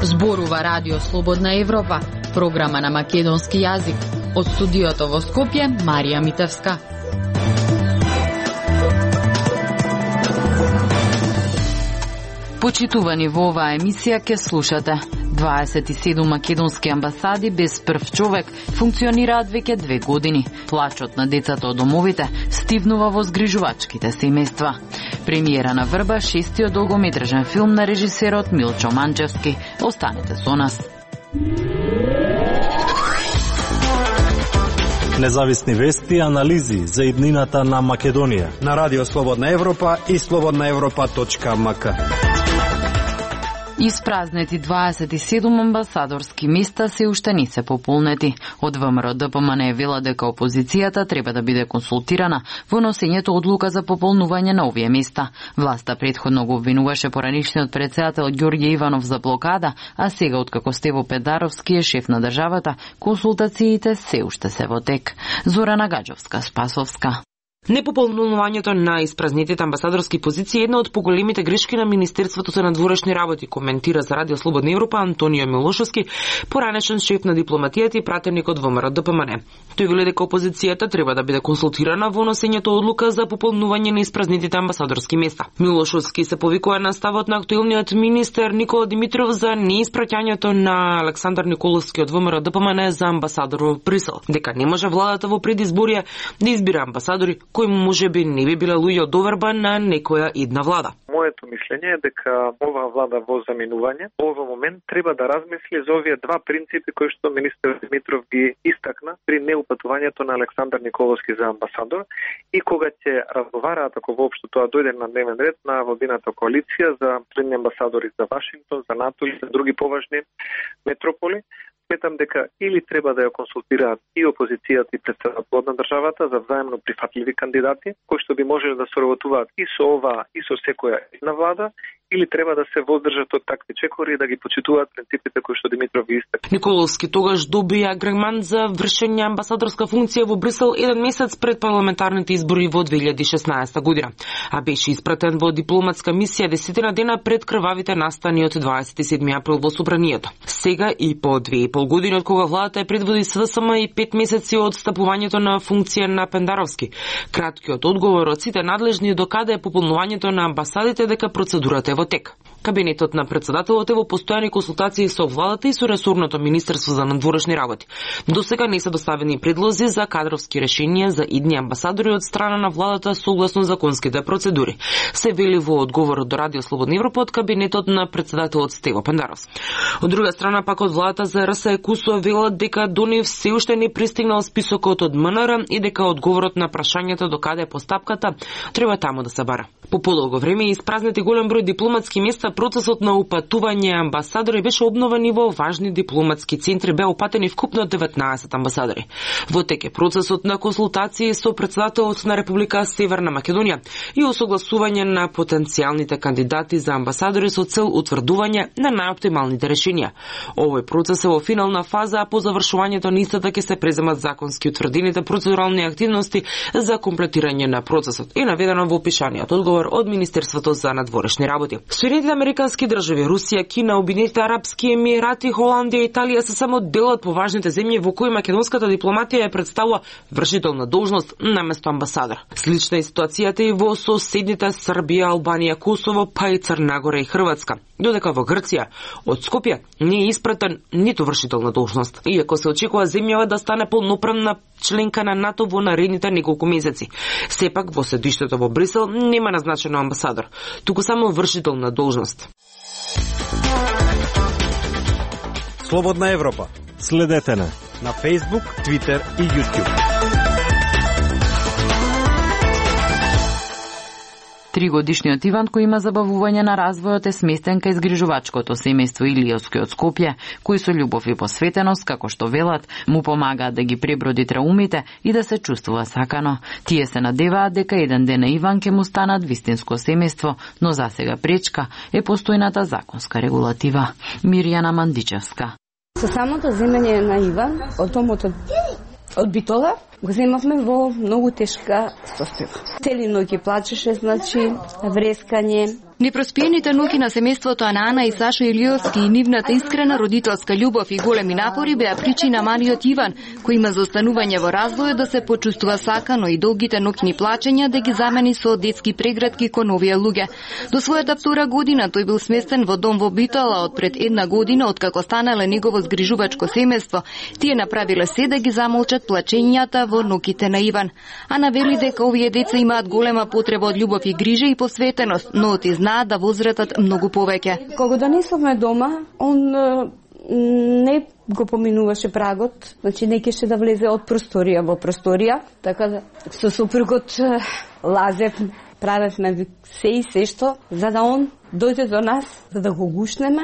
Зборува Радио Слободна Европа, програма на македонски јазик. Од студиото во Скопје, Марија Митевска. Почитувани во оваа емисија ке слушате. 27 македонски амбасади без прв човек функционираат веќе 2 години. Плачот на децата од домовите стивнува во згрижувачките семејства. Премиера на Врба, 6-тиот долгометражен филм на режисерот Милчо Манчевски. Останете со нас. Независни вести и анализи за иднината на Македонија на Радио Слободна Европа и slobodnaevropa.mk. Испразнети 27 амбасадорски места се уште не се пополнети. Од ВМРО ДПМН вела дека опозицијата треба да биде консултирана во носењето одлука за пополнување на овие места. Власта претходно го обвинуваше поранишниот председател Ѓорѓе Иванов за блокада, а сега откако Стево Педаровски е шеф на државата, консултациите се уште се во тек. Зорана Гаджовска, Спасовска. Непополнувањето на испразнетите амбасадорски позиции е една од поголемите грешки на Министерството за надворешни работи, коментира за Радио Слободна Европа Антонио Милошовски, поранешен шеф на дипломатијата и пратеник од ВМРО ДПМН. Тој вели дека опозицијата треба да биде консултирана во носењето одлука за пополнување на испразнетите амбасадорски места. Милошовски се повикува на ставот на актуелниот министер Никола Димитров за неиспраќањето на Александар Николовски од ВМРО ДПМН за амбасадор во Брисел, дека не може владата во предизборија да избира амбасадори кои можеби не би биле луѓе од доверба на некоја идна влада. Моето мислење е дека оваа влада во заминување во момент треба да размисли за овие два принципи кои што министер Димитров ги истакна при неупатувањето на Александар Николовски за амбасадор и кога ќе разговараат, ако воопшто тоа дојде на дневен ред на владината коалиција за средни амбасадори за Вашингтон, за НАТО и за други поважни метрополи. Сметам дека или треба да ја консултираат и опозицијата и претседателот на државата за взаимно прифатливи кандидати, кои што би можеле да соработуваат и со оваа и со секоја една влада, или треба да се воздржат од такви чекори и да ги почитуваат принципите кои што Димитров ги истакна. Николовски тогаш доби агремент за вршење амбасадорска функција во Брисел еден месец пред парламентарните избори во 2016 година, а беше испратен во дипломатска мисија 10 дена пред крвавите настани од 27 април во Собранието. Сега и по 2,5 години од кога владата е предводи СДСМ и 5 месеци од стапувањето на функција на Пендаровски. Краткиот одговор од сите надлежни докаде е пополнувањето на амбасадите дека процедурата е во тек. Кабинетот на председателот е во постојани консултации со владата и со ресорното Министерство за надворешни работи. До сега не се доставени предлози за кадровски решенија за идни амбасадори од страна на владата согласно законските процедури. Се вели во одговорот до Радио Слободна Европа од кабинетот на председателот Стево Пендаровски. Од друга страна пак од владата за РС Кусо велат дека до нив се уште не пристигнал списокот од МНР и дека одговорот на прашањето до каде е постапката треба таму да се бара. По подолго време испразнети голем број дипломатски места, процесот на упатување амбасадори беше обновен и во важни дипломатски центри беа упатени вкупно 19 амбасадори. Во тек е процесот на консултации со председателот на Република Северна Македонија и осогласување на потенцијалните кандидати за амбасадори со цел утврдување на најоптималните решенија. Овој процес е во финална фаза, а по завршувањето на истата ќе се преземат законски утврдените процедурални активности за комплетирање на процесот и наведено во опишаниот одговор од Министерството за надворешни работи. Соединетите американски држави, Русија, Кина, Обединетите арапски емирати, Холандија и Италија се само дел од поважните земји во кои македонската дипломатија ја представува вршител на должност наместо амбасадор. Слична е ситуацијата и во соседните Србија, Албанија, Косово, па и Црна Гора и Хрватска. Додека во Грција од Скопје не е испратен ниту вршител на должност, иако се очекува земјава да стане полноправна членка на НАТО во наредните неколку месеци. Сепак во седиштето во Брисел нема назначен амбасадор, туку само вршител на должност. Слободна Европа. Следете на Facebook, Twitter и YouTube. 3-годишниот Иван, кој има забавување на развојот, е сместен кај згрижувачкото семејство Илиевски од Скопје, кои со љубов и посветеност, како што велат, му помагаат да ги преброди траумите и да се чувствува сакано. Тие се надеваат дека еден ден на Иван ќе му станат вистинско семејство, но засега пречка е постојната законска регулатива. Мирјана Мандичевска. Со самото земење на Иван, од томот од Од Битола го земавме во многу тешка состојба. Цели ноќи плачеше, значи врескање. Непроспиените ноќи на семејството Ана и Сашо Илиовски и нивната искрена родителска љубов и големи напори беа причина малиот Иван, кој има за останување во развој, да се почувствува сакано и долгите ноќни плачења да ги замени со детски прегратки кон овие луѓе. До својата 2 година тој бил сместен во дом во Битола од пред 1 година, откако станале негово згрижувачко семејство. Тие направиле се да ги замолчат плачењата во ноќите на Иван. Ана вели дека овие деца имаат голема потреба од љубов и грижа и посветеност, но да возратат многу повеќе. Кога донесовме дома, он не го поминуваше прагот, значи не кеше да влезе од просторија во просторија, така да со супругот лазев, правевме се што, за да он дојде до нас, за да го гушнеме.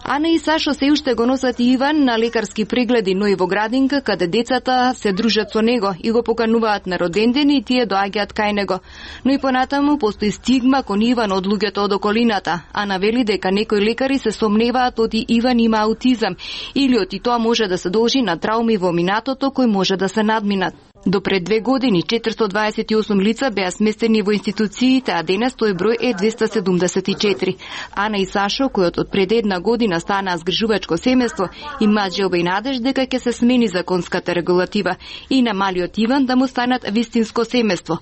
Ана и Сашо се уште го носат Иван на лекарски прегледи, но и во градинка, каде децата се дружат со него и го покануваат на родендени и тие доаѓаат кај него. Но и понатаму постои стигма кон Иван од луѓето од околината. Ана вели дека некои лекари се сомневаат оти Иван има аутизам или оти тоа може да се должи на трауми во минатото кои може да се надминат. До пред 2 години 428 лица беа сместени во институциите, а денес тој број е 274. Ана и Сашо, којот од пред 1 година станаа згрижувачко семејство, имаат желба и надеж дека ќе се смени законската регулатива и на малиот Иван да му станат вистинско семејство.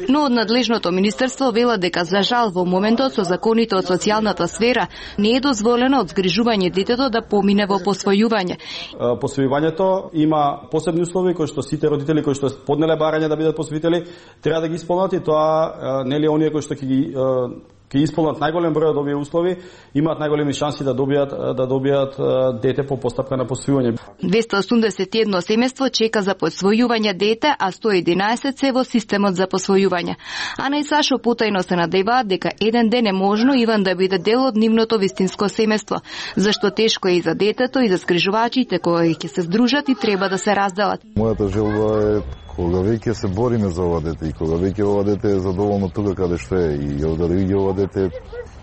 Но од надлежното министерство вела дека за жал во моментот со законите од социјалната сфера не е дозволено од згрижување детето да помине во посвојување. Посвојувањето има посебни услови кои што сите родители кои што поднеле барање да бидат посвоители треба да ги исполнат и тоа нели оние кои што ќе исполнат најголем број од овие услови, имаат најголеми шанси да добијат дете по постапка на посвојување. 281 семејство чека за посвојување дете, а 111 се во системот за посвојување. Ана и Сашо потајно се надеваат дека еден ден е можно Иван да биде дел од нивното вистинско семејство, зашто тешко е и за детето и за скрижувачите кои ќе се здружат и треба да се разделат. Мојата желба е кога веќе се бориме за ова дете и кога веќе ова дете е задоволно тука каде што е и да дојде ова дете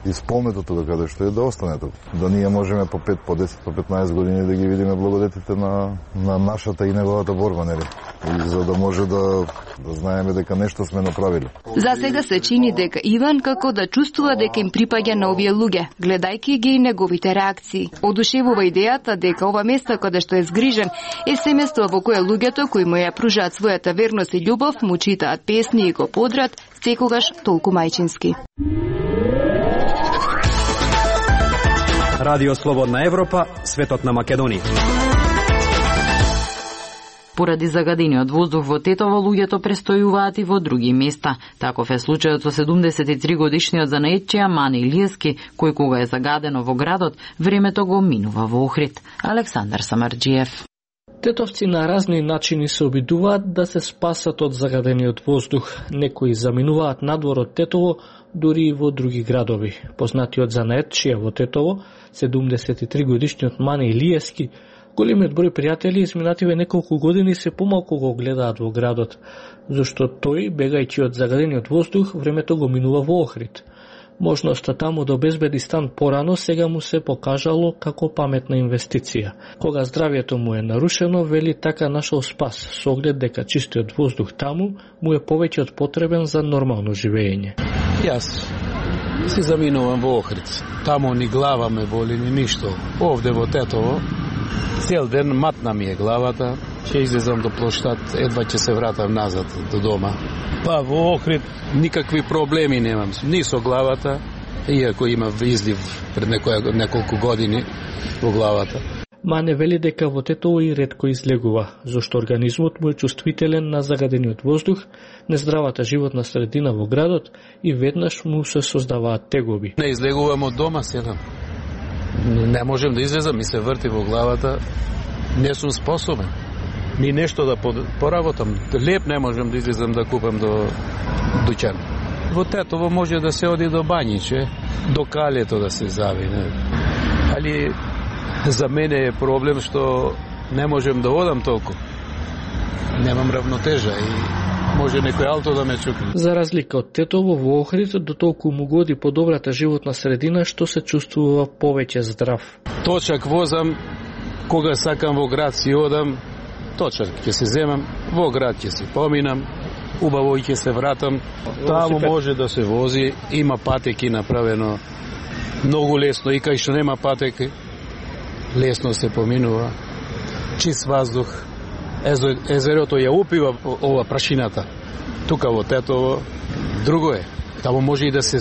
исполнето тука каде што е да остане тука. Да ние можеме по 5, по 10, по 15 години да ги видиме благодетите на нашата и неговата борба, нели? И за да може да знаеме дека нешто сме направиле. За сега се чини дека Иван како да чувствува дека им припаѓа на овие луѓе, гледајќи ги и неговите реакции. Одушевува идејата дека ова место каде што е згрижен е семејство во кое луѓето кои му ја пружаат својата верност и љубов му читаат песни и го подрат секогаш толку мајчински. Радио Слободна Европа, светот на Македонија. Поради загадениот воздух во Тетово, луѓето престојуваат и во други места. Таков е случајот со 73 годишниот занаетчија Мани Илиевски, кој кога е загадено во градот, времето го минува во Охрид. Александар Самарџиев. Тетовци на разни начини се обидуваат да се спасат од загадениот воздух. Некои заминуваат надвор од Тетово, дури и во други градови. Познатиот занаетчија во Тетово, 73 годишниот Мани Илиевски, големиот број пријатели изминативе неколку години се помалку го гледаат во градот, зашто тој, бегајќи од загадениот воздух, времето го минува во Охрид. Можноста таму да обезбеди стан порано сега му се покажало како паметна инвестиција. Кога здравието му е нарушено, вели така нашол спас, со оглед дека чистиот воздух таму му е повеќе од потребен за нормално живење. Јас си заминувам во Охрид. Таму ни глава ме боли, ни ништо. Овде во Тетово цел ден матна ми е главата. Ќе излезам до плоштад, едва ќе се вратам назад до дома. Па во Охрид никакви проблеми немам, ни со главата, иако има излив пред неколку години во главата. Мане вели дека во Тетово и ретко излегува, зашто организмот му е чувствителен на загадениот воздух, нездравата животна средина во градот и веднаш му се создаваат тегоби. Не излегувам од дома седам. Не можем да излезам, ми се врти во главата, не сум способен. Ни нешто да поработам, леп не можем да излезам да купам до дуќан. Во Тетово може да се оди до Бањиче, до Калето да се завине. Али за мене е проблем што не можем да одам толку. Немам равнотежа и може некој алто да ме чукне. За разлика од Тетово, во Охрид до толку му годи подобрата животна средина што се чувствува повеќе здрав. Точак возам, кога сакам во град си одам, точак ќе се земам, во град ќе се поминам, убаво ќе се вратам. Таму може да се вози, има патеки направено многу лесно, и кај што нема патеки, лесно се поминува. Чист воздух, езерото ја упива ова прашината. Тука во Тетово, друго е. Таму може и да се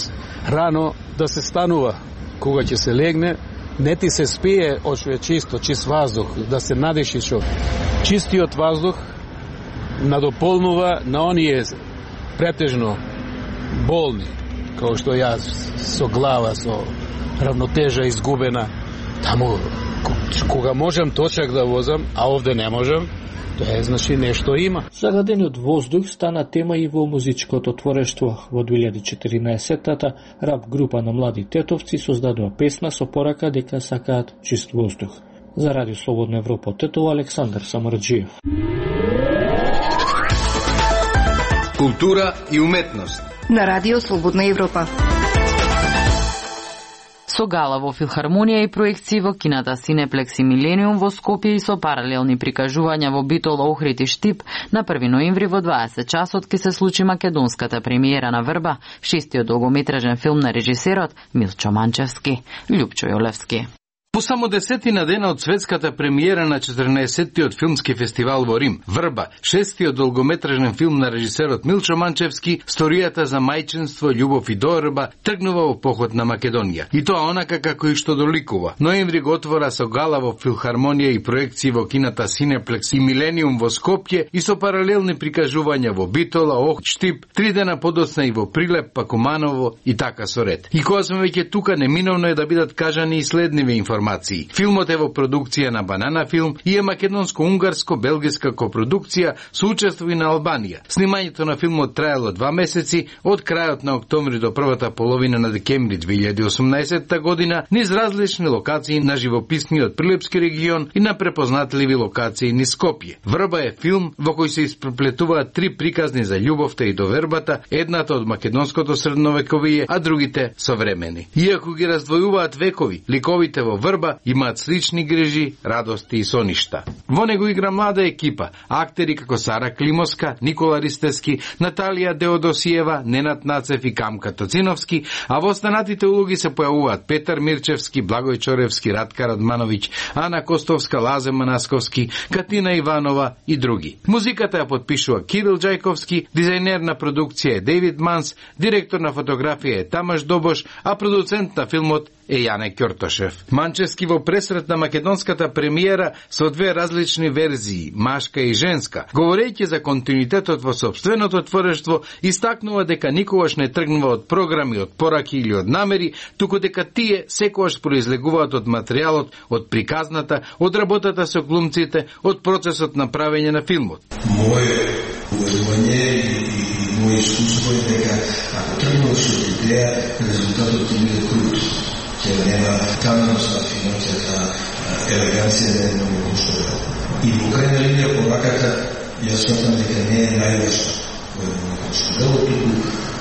рано да се станува. Кога ќе се легне, не ти се спие од што е чисто, чист воздух, да се надеши што. Чистиот воздух надополнува на оние претежно болни, како што јас, со глава, со равнотежа изгубена. Таму, кога можам точак да возам, а овде не можам, тоа е, значи, нешто има. Загадениот воздух стана тема и во музичкото творештво. Во 2014-тата рап група на млади тетовци создадува песна со порака дека сакаат чист воздух. За Радио Слободна Европа од Тетово, Александар Самарджиев. Култура и уметност на Радио Слободна Европа. Со гала во филхармонија и проекции во кината Синеплекс и Милениум во Скопје и со паралелни прикажувања во Битол, Охрид и Штип, на 1 ноември во 20 часот ќе се случи македонската премиера на Врба, шестиот долгометражен филм на режисерот Милчо Манчевски. Љупчо Јолевски. По само 10 дена од светската премиера на 14-тиот филмски фестивал во Рим, Врба, шестиот долгометражен филм на режисерот Милчо Манчевски, сторијата за мајчинство, љубов и доорба тргнува во поход на Македонија. И тоа онака како и што доликува. Ноември го отвора со гала во филхармонија и проекции во кината Синеплекс и Милениум во Скопје и со паралелни прикажувања во Битола, Охрид, Штип, 3 дена подоцна и во Прилеп, Пакуманово и така со ред. И кога сме веќе тука, неминовно е да бидат кажани и следниве информации. Филмот е во продукција на Банана Филм и е македонско-унгарско-белгиска копродукција со учество и на Албанија. Снимањето на филмот траело 2 месеци, од крајот на октомври до првата половина на декември 2018 година, низ различни локации на живописниот Прилепски регион и на препознатливи локации низ Скопје. Врба е филм во кој се испреплетуваат 3 приказни за љубовта и довербата, едната од македонското средновековие, а другите современи. Иако ги раздвојуваат векови, ликовите во Врба имаат слични грижи, радости и соништа. Во него игра млада екипа, актери како Сара Климовска, Никола Ристевски, Наталија Деодосиева, Ненад Нацев и Камка Тоциновски, а во останатите улоги се појавуваат Петар Мирчевски, Благој Чоревски, Радка Радмановиќ, Ана Костовска, Лазе Манасковски, Катина Иванова и други. Музиката ја подпишува Кирил Џајковски, дизајнер на продукција е Дейвид Манс, директор на фотографија е Тамаш Добош, а продуцент на филмот е Јане Ќортошев. Манчевски во пресрет на македонската премиера со 2 различни верзии, машка и женска, говорејќи за континуитетот во сопственото творештво, истакнува дека никогаш не тргнува од програми, од пораки или од намери, туку дека тие секогаш произлегуваат од материјалот, од приказната, од работата со глумците, од процесот на правење на филмот. Моје уверување и моје искуство е дека ако тргнуваш од идеја, резултатот ќе биде крут. Ќе нема каменост на финансијата, елеганција на едно уштове. И во крајна линија пораката, јас смятам дека не е најважно во едно уштове, туку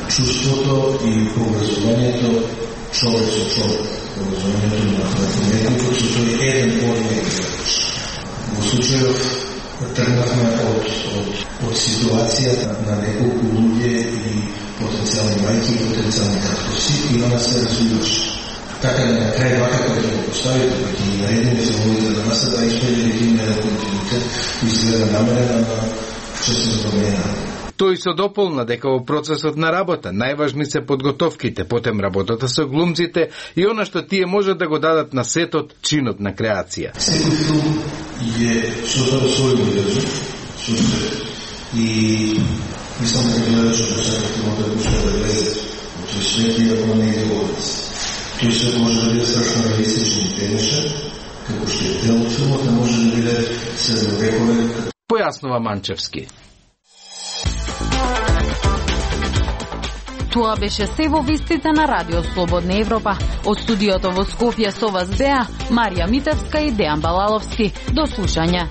чувството и образованието човек со човек, образованието на уметникот со тој еден одмек. Во случајов тргнавме од ситуацијата на неколку луѓе и потенцијални мајки и потенцијални татковци и она се развиваше. Така на крај вака кој ќе го поставите, кој ќе ги наредиме филмовите на масата, да испреди да има еден континуитет изгледа намерена на честна промена. Тој се дополна дека во процесот на работа најважни се подготовките, потем работата со глумците и она што тие можат да го дадат на сетот, чинот на креација. Секој филм е создава свој универзум, и мислам дека гледачот да сака филмот да го што да влезе во тој свет и да го не иде во нас. Тој свет може да биде страшно реалистичен и тенешен, како што е дел од филмот, не може да биде средновековен. Појаснува Манчевски. Тоа беше се во вестите на Радио Слободна Европа. Од студиото во Скопје со вас беа Марија Митевска и Дејан Балаловски. До слушање.